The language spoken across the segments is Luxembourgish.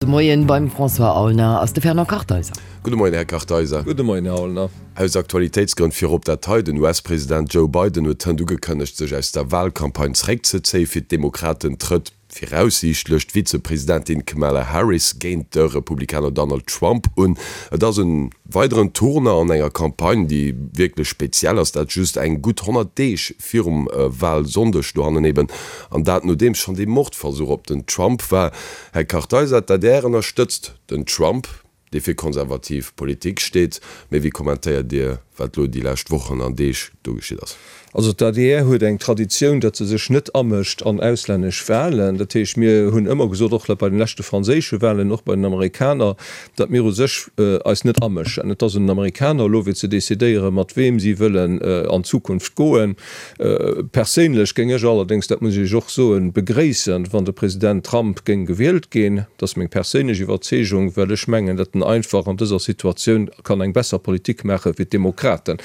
De Moien beim François Aulner ass de Fernand Kartheiser. Gudde Moien, Här Kartheiser. Gudde Moien, Här Aulner. Aus Aktualitéitsgrënn virop dat hei, Den US-President Joe Biden huet hënt ugekënnegt, sech aus der Walcampagne zeréckzezéien. Fir d'Demokraten trëtt viraussiichtlech d'Vizepresidentin Kamala Harris géint de Republikaner Donald Trump un. Et ass en weideren Tournant an enger Campagne, déi wierklech speziell ass, dat just eng gutt 100 Deeg virum Walsonndeg dohannen eben, an dat nodeems schonn dee Mordversuch op den Trump war. Här Kartheiser, d'ADR ënnerstëtzt den Trump, dee fir konservativ Politik steet. Mee wéi kommentéiert Dir, wat elo déi lescht Wochen an Deeg do geschitt ass? Also d'ADR huet eng Traditioun, datt se sech net amëscht an auslännesch Wahlen. Dat heescht, mir hunn ëmmer gesot, och bei den leschte franséische Wahlen, och bei den Amerikaner, datt mir u sech eis net amëschen. Et ass un den Amerikaner elo fir ze decidéieren, mat weem si wëllen an d'Zukunft goen. Perséinlech géing ech allerdéngs, dat muss ech Iech och soen, begréissen, wann de President Trump géing gewielt ginn. Dat ass meng perséinlech Iwwerzeegung, well ech mengen, datt en einfach an dëser Situatioun kann eng besser Politik maache wéi d'Demokraten.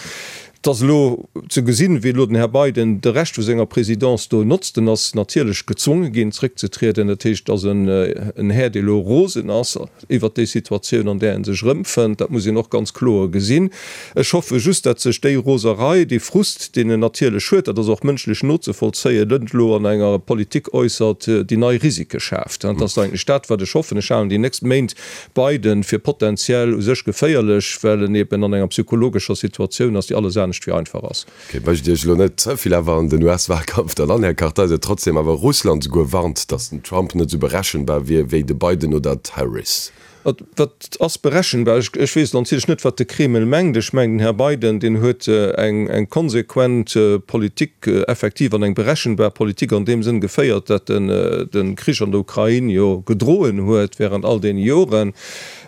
Et ass elo ze gesinn, wéi elo den Här Biden de Rescht vu senger Présidence do notzt. En ass natierlech gezwonge ginn, zréckzetrieden. Dat heescht, et ass en Här, dee elo rosen ass. iwwert déi Situatioun, an där e sech erëmfënnt. Dat muss een och ganz kloer gesinn. Ech hoffe just, dat sech déi Roserei, dee Frust, deen en natierlech huet, dat ass och mënschlech nozevollzéien, net elo an enger Politik äussert, déi nei Risike schaaft. Dat ass eigentlech dat, wat ech hoffen. Ech halen déi nächst Méint Biden fir potenziell u sech geféierlech, well en eben an enger psychologescher Situatioun ass, déi alles anescht wéi einfach ass. Ok, mécht Iech elo net ze vill awer an den US-Wahlkampf dann an, Här Kartheiser. Trotzdem awer Russland souguer warnt, datt den Trump net esou berechenbar wier wéi de Biden oder d'Harris. Wat ass berechenbar? Ech weess natierlech net, wat de Kreml mengt. Ech mengen, den Här Biden, deen huet eng konsequent Politik effektiv an eng berechenbar Politik an deem Sënn geféiert, datt en de Krich an der Ukrain jo gedroen huet während all deene Joren.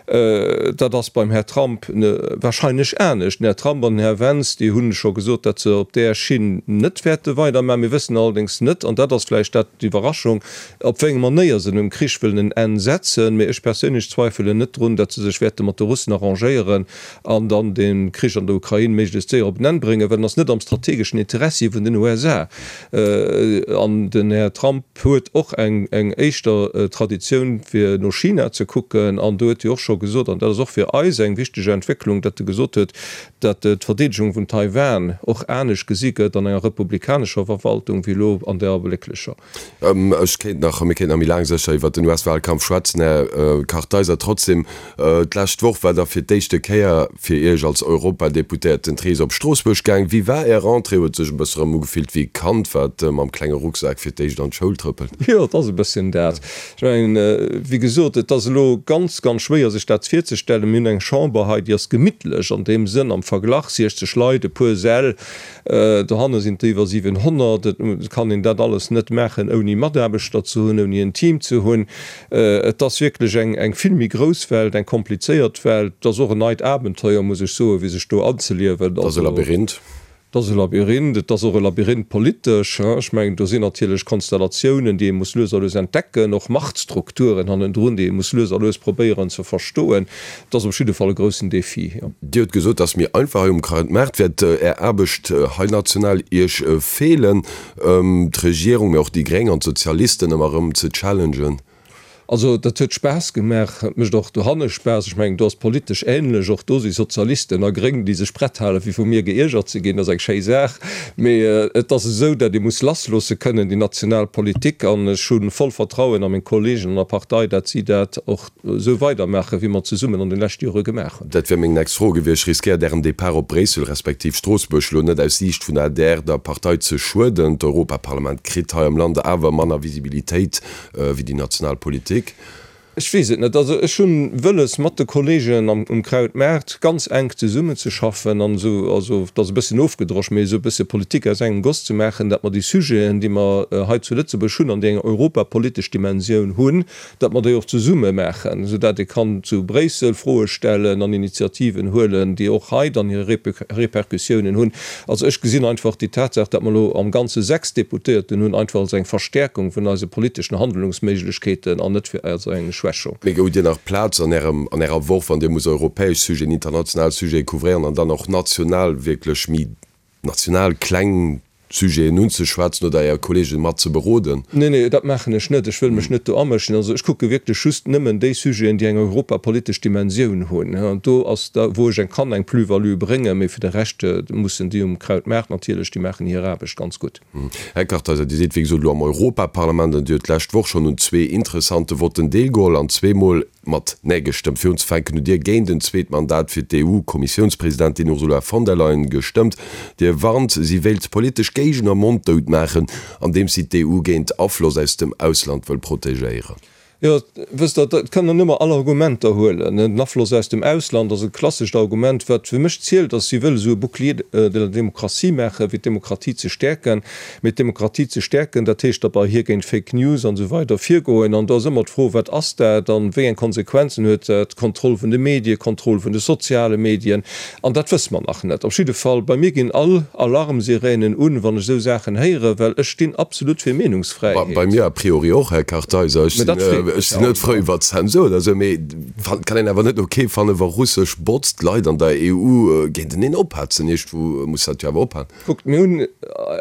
Dat ass beim Här Trump wahrscheinlech anescht. Den Här Trump an den Här Vance, déi hu scho gesot, datt se op där Schinn net wäerte weidermachen. Mir wëssen allerdéngs net, an dat ass vläicht dat d'Iwwerraschung, op wéi eng Manéier se dem Krich wëllen en Enn setzen. Mee ech perséinlech zweifelen net drun, datt se sech wäerte mat de Russen arrangéieren an dann de Krich an der Ukrain méiglechst séier op en Enn bréngen, well en ass net am strategeschen Interessi vun den USA. An den Här Trump huet och eng éischter Traditioun fir no China ze kucken. An do huet hie och scho gesot, an dat ass och fir eis eng wichteg Entwécklung, datt e gesot huet, datt d'Verdeedegung vun Taiwan och anescht gesi gëtt an enger republikanescher Verwaltung wéi elo an där ablécklecher. Ech kéint nach, mir kéinten nach méi laang sécher iwwert den US-Wahlkampf schwätzen, Här Kartheiser. Trotzdem, d'lescht Woch war da fir d'éischte Kéier fir Iech als Europadeputéierten d'Rees op Stroossbuerg gaang. Wéi war Är Rentrée? Huet sech e bësse rëm ugefillt wéi e Kand, wat mam klenge Rucksak fir d'éischt an d'Schoul trëppelt? Jo, et ass e bësschen dat. Ech mengen, wéi gesot, et ass elo ganz, ganz schwéier sech dat virzestellen. Mir hunn eng Chamber hei, déi ass gemittlech an deem Sënn am Verglach, 60 Leit, e puer Säll, Dohanne sinn et der iwwer 700. Et kann een dat alles net maachen, ouni Mataarbechter ze hunn, ouni en Team ze hunn. Et ass wierklech eng vill méi grouss Welt, eng komplizéiert Welt. Et ass och en neit Abenteuer, muss ech soen, fir sech do anzeliewen. Et ass e Labyrinth. Et ass e Labyrinth. Et ass och e Labyrinth politesch. Ech mengen, do sinn natierlech Konstellatiounen, déi ee muss lues a lues entdecken, och Machtstrukturen hannendrun, déi ee muss lues a lues probéieren ze verstoen. Et ass op jidde Fall e groussen Defi, jo. Dir hutt gesot, dass méi einfach hei um Krautmaart. Wäert Är Aarbecht hei national Iech feelen, d'Regierung, mee och déi Gréng an d'Sozialisten ëmmer erëm ze challengen? Also dat huet Spaass gemaach, et mécht och dohanne Spaass. Ech mengen, do ass politesch änlech, och do si Sozialisten a Gréng, déi sech prett halen, fir vu mir geiergert ze ginn. Dat ass eng schéi Saach. Mee et ass esou, datt ee muss lassloosse kënnen, déi national Politik. An ech hu voll Vertrauen a meng Kollegen an der Partei, datt si dat och esou weidermaachen, wéi mer zesummen an de leschte Jore gemaach hunn. Dat wär meng nächst Fro gewiescht. Riskéiert Ären Depart op Bréissel respektiv Stroossbuerg elo net aus Siicht vun der adr der Partei ze schueden? D'Europaparlament kritt hei am Land awer manner Visibilitéit wéi déi national Politik. Ech weess et net. Also ech hunn wëlles, mat de Kollegen um Krautmaart ganz enk zesummenzeschaffen an esou, also et ass e bësschen ofgedrosch, mee esou e bësse Politik aus engem Goss ze maachen, datt mer déi Sujeten, déi mer hei zu Lëtzebuerg hunn an déi eng europapolitesch Dimensioun hunn, datt mer déi och zesumme maachen, esou dat ee kann zu Bréissel Froe stellen an Initiativen huelen, déi och hei dann hir Répercussiounen hunn. Also ech gesinn einfach déi Tatsaach, datt mer elo am Ganze 6 Deputéierten hunn, einfach als eng Verstärkung vun eise politeschen Handlungsméiglechkeeten an net als eng Schwächung. Mee hutt Dir nach Plaz an Ärem, an Ärer Woch, wann Dir musst europäesch Sujeten, international Sujete couvréieren an dann och national wierklech méi national kleng. Sujeten unzeschwätzen oder Är Kollegen mat ze beroden? Nee, nee, dat maachen ech net. Ech wëll mech net do amëschen. Also ech kucke wierklech just nëmmen déi Sujeten, déi eng europapolitesch Dimensioun hunn. An do ass da, wou ech eng kann eng Plus-value bréngen. Mee fir de Rescht mussen déi um Krautmaart natierlech, déi maachen hir Aarbecht ganz gutt. Här Kartheiser, Dir sidd wéi gesot elo am Europaparlament an Dir hutt d'lescht Woch schonn un zwee interessante Votten deelgeholl an zweemol mat Nee gestëmmt. Fir unzefänken hutt Dir géint en zweet Mandat fir d'EU-Kommissiounspresidentin Ursula von der Leyen gestëmmt. Dir warnt, si wéilt politesch Géigner monddout maachen, andeems si d'EU géint Afloss aus dem Ausland wëll protegéieren. Jo, wësst Der, et kann een ëmmer all Argumenter huelen. Den Afloss aus dem Ausland ass e klassescht Argument. Wat fir mech zielt, ass, si wëll esou e Bouclier de la démocratie maachen, fir d'Demokratie ze stäerken. Mee d'Demokratie ze stäerken, dat heescht da bei hir géint Fake News an esou weider virgoen. An do ass ëmmer d'Fro, Wat ass dat an wéi eng Konsequenzen huet dat? Kontroll vun de Medien, Kontroll vun de soziale Medien. An dat wësse mer nach net. Op jidde Fall, bei mir ginn all Alarmsiränen un, wann ech esou Saachen héieren, well ech stinn absolut fir Meenungsfräiheet. Bei mir a priori och, Här Kartheiser. Ech sinn net frou iwwer Zensur oder esou, mee et kann een awer net ok fannen, wa russesch Bots d'Leit an der EU géinteneen ophetzen. Iergendwou muss dat jo awer ophalen. Kuckt, mir hunn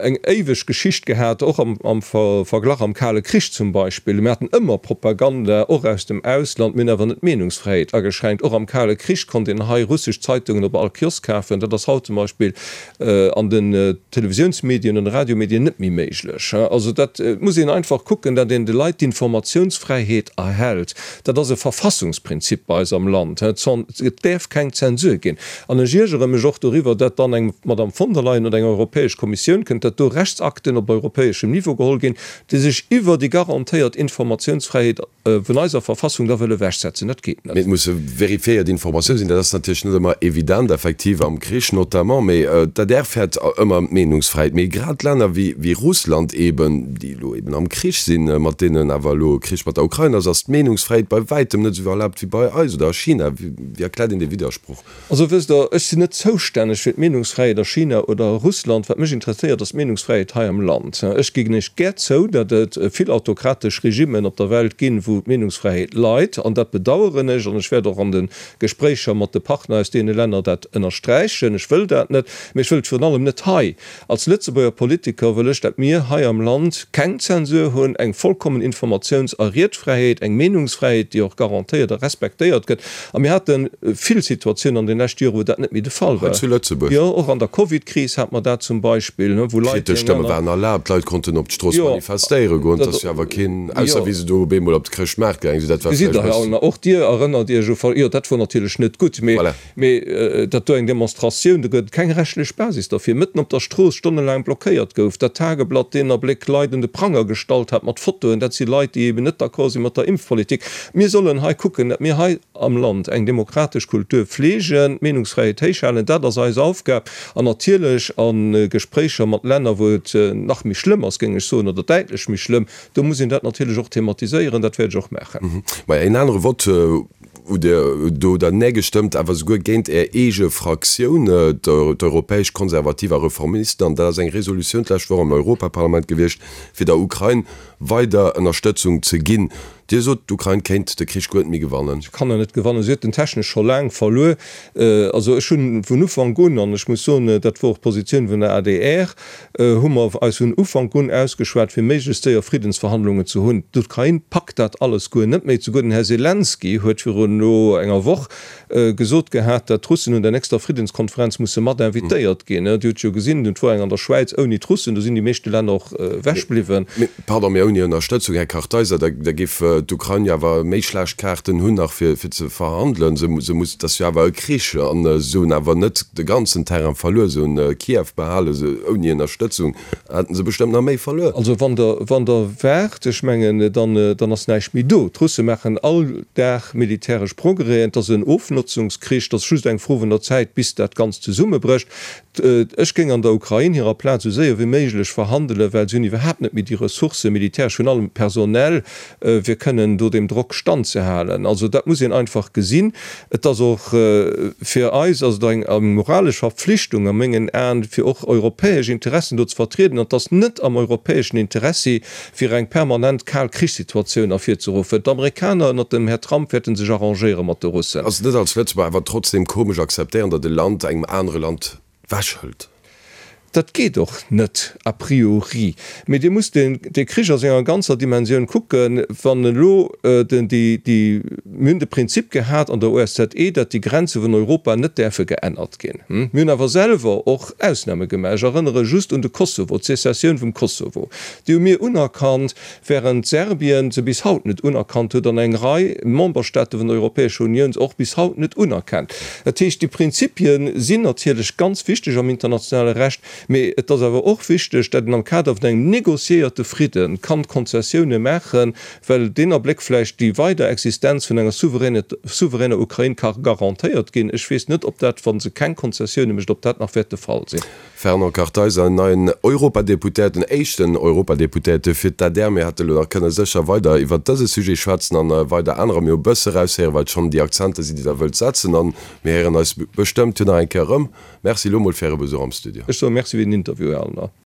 eng éiweg Geschicht gehat, och am Verglach am Kale Krich zum Beispill. Mir haten ëmmer Propaganda, och aus dem Ausland. Mir hunn awer net d'Meenungsfräiheet ageschränkt. Och am Kale Krich konnt een hei russesch Zeitungen op all Kiosk kafen. Dat ass haut zum Beispill an den Televisiounsmedien an de Radiomedien net méi méiglech. Also dat muss een einfach kucken, datt een de Leit d'Informatiounsfräiheet erhält. Dat ass e Verfassungsprinzip bei eis am Land. Et däerf keng Zensur ginn. An ech iergere mech och doriwwer, datt dann eng Madame von der Leyen oder eng Europäesch Kommissioun kënnt, datt do Rechtsakten op europäeschem Niveau geholl ginn, déi sech iwwer déi garantéiert Informatiounsfräiheet vun eiser Verfassung da wëlle ewechsetzen. Dat geet net. Mee et musse verifiéiert Informatioune sinn. Dat ass natierlech net ëmmer evident, effektiv am Krich notamment. Mee d'ADR fäert ëmmer ëm d'Meenungsfräiheet. Mee grad Länner wéi Russland eeben, déi elo eeben am Krich sinn, mat deenen awer elo e Krich mat der Ukrain ass, ass d'Meenungsfräiheet bei wäitem net esou erlaabt wéi bei eis oder a China. Wéi erkläert een dee Widdersproch? Also wësst Der, ech sinn net zoustänneg fir d'Meenungsfräiheet a China oder a Russland. Wat mech interesséiert, ass d'Meenungsfräiheet hei am Land. Ech ginn Iech gär zou, datt et vill autokratesch Regimmen op der Welt ginn, wou d'Meenungsfräiheet leit. An dat bedaueren ech. An ech wäert och an de Gespréicher mat de Partner aus deene Länner dat ënnersträichen. Ech wëll dat net, mee ech wëll et virun allem net hei. Als Lëtzebuerger Politiker wëll ech, dat mir hei am Land keng Zensur hunn, eng vollkommen Informatiouns a Riedfräiheet, eng Meenungsfräiheet, déi och garantéiert a respektéiert gëtt. A mir hate vill Situatiounen an den leschte Joren, wou dat net méi de Fall war. Hei zu Lëtzebuerg? Jo, och an der Covid-Kris hate mer dat zum Beispill, wou Leit, déi Kritesch eng Stëmme aner. waren erlaabt, d'Leit konnten op d'Strooss manifestéiere goen. Et ass jo awer keen, ausser wéi se do op eemol op de Chrëschtmaart gaange sinn, dat war Gesitt vläicht Der, e bëssen. Och Dir erënnert Iech u, jo, dat wor natierlech net gutt, mee. Voilà. Mee datt do eng Demonstratioun, do gëtt et keng rechtlech Basis derfir, mëtten op der Strooss stonnelaang blockéiert gouf, dat Tageblatt deen Abléck Leit un de Pranger gestallt hat mat Fotoen, dat si Leit, déi eben net d'accord si mat der Impfpolitik. Mir sollen hei kucken, datt mir hei am Land eng demokratesch Kultur fleegen, d'Meenungsfräiheet héichhalen, dat ass eis Aufgab. An natierlech a Gespréicher mat Länner, wou et nach méi schlëmm ass, géing ech soen, oder däitlech méi schlëmm, do muss een dat natierlech och thematiséieren, dat wäert ech och maachen. Maja, een anere Vott Hutt Dir do der Nee gestëmmt, awer souguer géint Är eege Fraktioun, d'Europäesch Konservativ a Reformisten, an dat ass eng Resolutioun d'lescht Woch am Europaparlament gewiescht, fir der Ukrain weider Ënnerstëtzung ze ginn. Dir sot, d'Ukrain kéint de Krich guer net méi gewannen. Se kann en net gewannen. Si huet en technesch scho laang verluer. Also ech hunn vun Ufank un, an ech muss soen, dat wor och d'Positioun vun der adr, hu mer eis vun Ufank un ausgeschwat, fir méiglechst séier Friddensverhandlungen ze hunn. D'Ukrain packt dat alles guer net méi. Souguer den Här Selenskyj huet virun elo enger Woch gesot gehat, datt d'Russen un der nächster Friddenskonferenz musse mat invitéiert ginn. Dir hutt jo gesinn, et wor eng an der Schwäiz ouni d'Russen, do sinn déi meeschte Länner och ewech bliwwen. Mee, pardon, mee ouni Ënnerstëtzung, Här Kartheiser, da géif d'Ukrain jo awer méi schlecht Kaarten hunn nach fir ze verhandelen. Se muss, et ass jo awer e Krich an se hunn awer net de ganzen Terrain verluer, se hunn Kiew behalen, se ouni Ënnerstëtzung hätten se bestëmmt nach méi verluer. Also wann Der, wann Der waart, ech mengen, dann, dann ass näischt méi do. D'Russe maachen all Dag militäresch Progrèsen, et ass en Ofnotzungskrich, et ass just eng Fro vun der Zäit, bis dat Ganzt zesummebrécht. Ech géing an der Ukrain hirer Plaz esou séier wéi méiglech verhandelen, well se hunn iwwerhaapt net méi déi Ressourcen, militäresch, virun allem personell, fir kënnen do deem Drock standzehalen. Also dat muss een einfach gesinn. Et ass och fir eis ass et eng moralesch Verpflichtung a mengen Aen, fir och europäesch Interessen do ze vertrieden. An et ass net am europäeschen Interessi, fir eng permanent kal Krichssituatioun ervirzeruffen. D'Amerikaner ënnert dem Här Trump wäerte sech arrangéiere mat de Russen. Ass et net als Lëtzebuerger awer trotzdem komesch akzeptéieren, datt e Land engem anere Land wechhëlt? Dat geet och net a priori. Mee Dir musst dee Krich a senger ganzer Dimensioun kucken. Wann elo den, déi, déi, mir hunn de Prinzip gehat an der OSZE, datt déi Grenze vun Europa net däerfe geännert ginn. Mir hunn awer selwer och Ausname gemaach. Ech erënnere just un de Kosovo, d'Sezessioun vum Kosovo. Déi hu mir unerkannt, während Serbien se bis haut net unerkannt huet an eng Rei Memberstaate vun der Europäescher Unioun se och bis haut net unerkennt. Dat heescht, déi Prinzipie sinn natierlech ganz wichteg am internationale Recht, mee et ass awer och wichteg, dat een am Kader vun engem négociéierte Fridde kann Konzessioune maachen, well deen Abléck vläicht déi weider Existenz vun enger souveräner Ukrain ka garantéiert ginn. Ech weess net, ob dat, wa se keng Konzessioune mécht, ob dat nach wäert de Fall sinn. Fernand Kartheiser, en neien Europadeputéierten, éischten Europadeputéierte fir d'ADR. Mir hätte lo nach kënne sécher weider iwwert dëse Sujet schwätzen an weider anerer. Mir hu bësse eraushéieren, wat schonn déi Akzenter sinn, déi Der wëllt setzen. An mir héieren eis bestëmmt jo nach eng Kéier erëm. Merci elo mol fir Äre Besuch am Studio. Ech soe Merci fir den Interview, Här Allner.